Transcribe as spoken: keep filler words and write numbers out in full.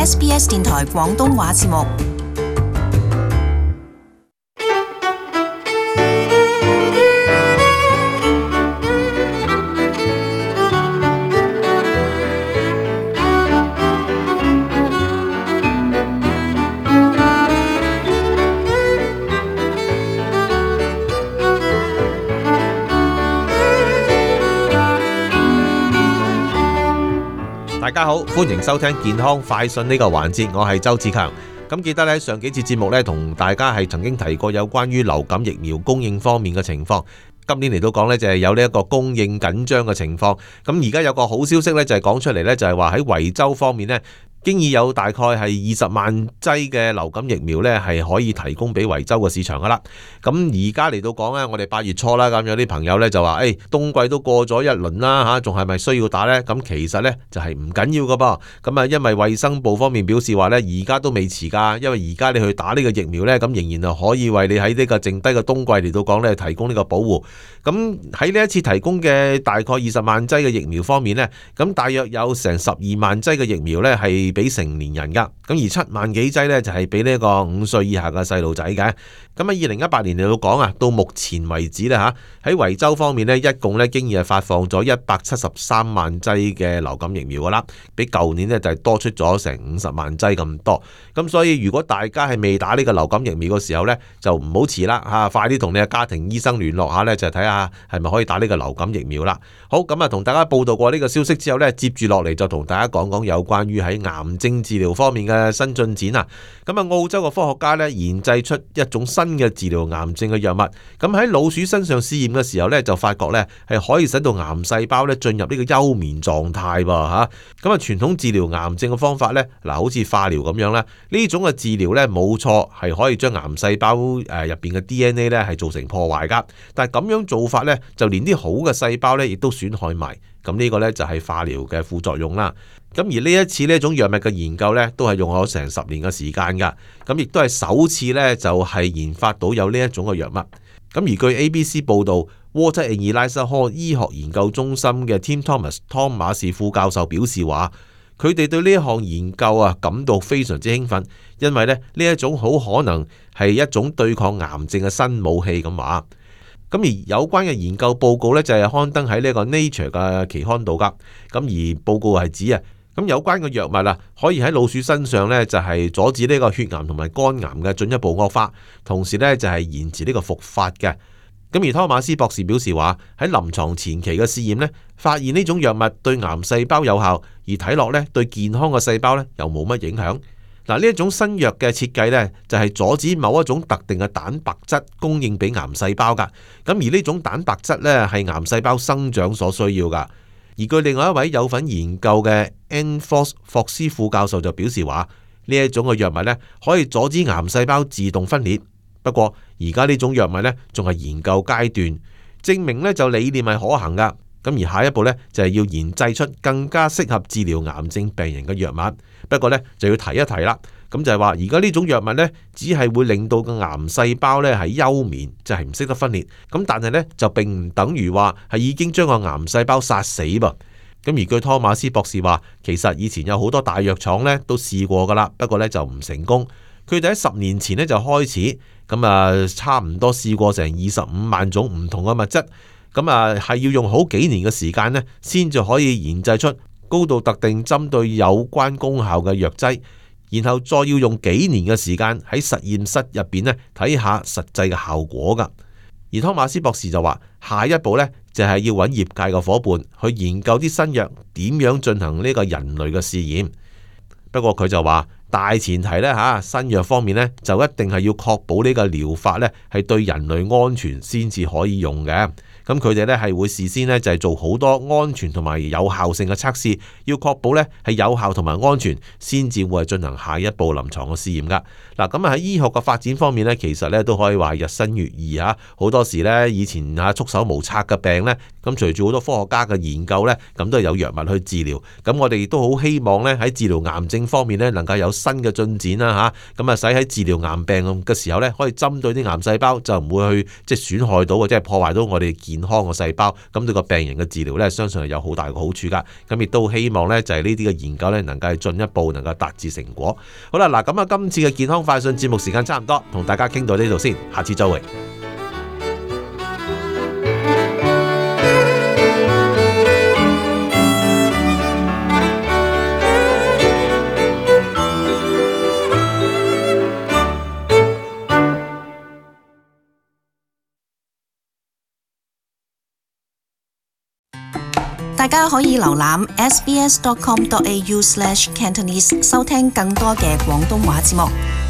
S B S 電台廣東話節目。大家好，歡迎收聽健康快訊呢個環節，我係周志強。咁記得咧，上幾節節目咧，同大家係曾經提過有關於流感疫苗供應方面嘅情況。今年嚟到講呢，就係有呢一個供應緊張嘅情況。咁而家有個好消息呢，就係講出嚟呢，就係話喺維州方面呢，經已有大概係二十萬劑嘅流感疫苗呢，係可以提供俾維州嘅市場噶啦。咁而家嚟到講呢，我哋八月初啦，咁有啲朋友呢就話，誒、哎，冬季都過咗一輪啦，吓，仲係咪需要打呢？咁其實呢，就係唔緊要噶噃。咁啊，因為衛生部方面表示話呢，而家都未遲噶，因為而家你去打呢個疫苗呢，咁仍然係可以為你喺呢個剩低嘅冬季嚟到講呢，提供呢個保護。咁喺呢一次提供嘅大概二十萬劑嘅疫苗方面呢，咁大約有成十二萬劑嘅疫苗呢係俾成年人噶，咁而七萬幾劑呢就係俾呢個五歲以下嘅細路仔嘅。咁喺二零一八年嚟到講啊，到目前為止呢，吓，喺維州方面呢，一共呢經已係發放咗一百七十三萬劑嘅流感疫苗噶啦，比舊年呢就係多出咗成五十萬劑咁多。咁所以如果大家係未打呢個流感疫苗嘅時候呢，就唔好遲啦吓，快啲同你嘅家庭醫生聯絡下呢，就睇下係咪可以打呢個流感疫苗啦。好，咁啊同大家報道過呢個消息之後呢，接住落嚟就同大家講講有關於喺癌症治療方面嘅新進展啊。咁啊澳洲嘅科學家呢研製出一種新嘅治療癌症嘅藥物，咁喺老鼠身上試驗嘅時候呢，就發覺呢係可以使到癌細胞呢進入呢個休眠狀態噃吓。咁啊傳統治療癌症嘅方法呢，嗱好似化療咁樣啦，呢種嘅治療呢冇錯係可以將癌細胞誒入邊嘅 D N A 呢係造成破壞噶，但係咁樣做法呢，就連啲好嘅細胞呢亦都損害埋。咁呢個呢，就係化療嘅副作用啦。咁而呢一次呢種藥物嘅研究呢，都係用咗成十年嘅時間噶。咁亦都係首次呢，就係研發到有呢一種嘅藥物。咁而據 A B C 報道 Walter and Eliza Hall 醫學研究中心嘅 Tim Thomas 湯馬士副教授表示話，佢哋對呢一項研究啊感到非常之興奮，因為呢呢一種好可能係一種對抗癌症嘅新武器咁話。咁而有關嘅研究報告呢，就係刊登喺呢個 Nature 嘅期刊度噶。咁而報告係指啊，咁有關嘅藥物啊，可以喺老鼠身上呢，就係阻止呢個血癌同埋肝癌嘅進一步惡化，同時呢，就係延遲呢個復發嘅。咁而湯馬斯博士表示話，喺臨床前期嘅試驗呢，發現呢種藥物對癌細胞有效，而睇落呢對健康嘅細胞呢又冇乜影響。嗱，呢一種新藥嘅設計呢，就係阻止某一種特定嘅蛋白質供應俾癌細胞噶。咁而呢種蛋白質呢，係癌細胞生長所需要噶。而據另外一位有份研究嘅 Anne Fox 霍斯副教授就表示話，呢一種嘅藥物呢，可以阻止癌細胞自動分裂。不過而家呢種藥物呢，仲係研究階段，證明呢就理念係可行噶。咁而下一步呢，就係要研製出更加適合治療癌症病人嘅藥物。不過呢，就要提一提啦，咁就係話而家呢種藥物呢，只係會令到個癌細胞呢係休眠，就係唔識得分裂。咁但係呢，就並唔等於話係已經將個癌細胞殺死噃。咁而據湯馬斯博士話，其實以前有好多大藥廠呢都試過噶啦，不過呢就唔成功。佢哋喺十年前呢就開始，咁啊差唔多試過成二十五萬種唔同嘅物質。咁啊，係要用好幾年嘅時間呢，先至可以研製出高度特定針對有關功效嘅藥劑，然後再要用幾年嘅時間喺實驗室入邊呢睇下實際嘅效果噶。而湯馬斯博士就話，下一步呢，就係要揾業界嘅伙伴去研究啲新藥點樣進行呢個人類嘅試驗。不過佢就話，大前提呢，吓，新藥方面呢，就一定係要確保呢個療法呢係對人類安全先至可以用嘅。咁佢哋咧係會事先咧就係做好多安全同埋有效性嘅測試，要確保咧係有效同埋安全，先至會進行下一步臨床嘅試驗噶。嗱，咁啊喺醫學嘅發展方面咧，其實咧都可以話日新月異啊。好多時咧以前啊束手無策嘅病咧，咁隨住好多科學家嘅研究咧，咁都係有藥物去治療。咁我哋亦都好希望咧喺治療癌症方面咧，能夠有新新嘅進展啦嚇，咁啊使喺治療癌病嘅時候咧，可以針對啲癌細胞，就唔會去即係損害到或者係破壞到我哋健康嘅細胞，咁對個病人嘅治療咧，相信係有好大嘅好處噶。咁亦都希望咧就係呢啲嘅研究咧，能夠進一步能夠達至成果。好啦，嗱咁啊，今次嘅健康快訊節目時間差唔多，同大家傾到呢度先，下次再會。大家可以瀏覽 s b s dot com dot a u slash cantonese 收聽更多嘅廣東話節目。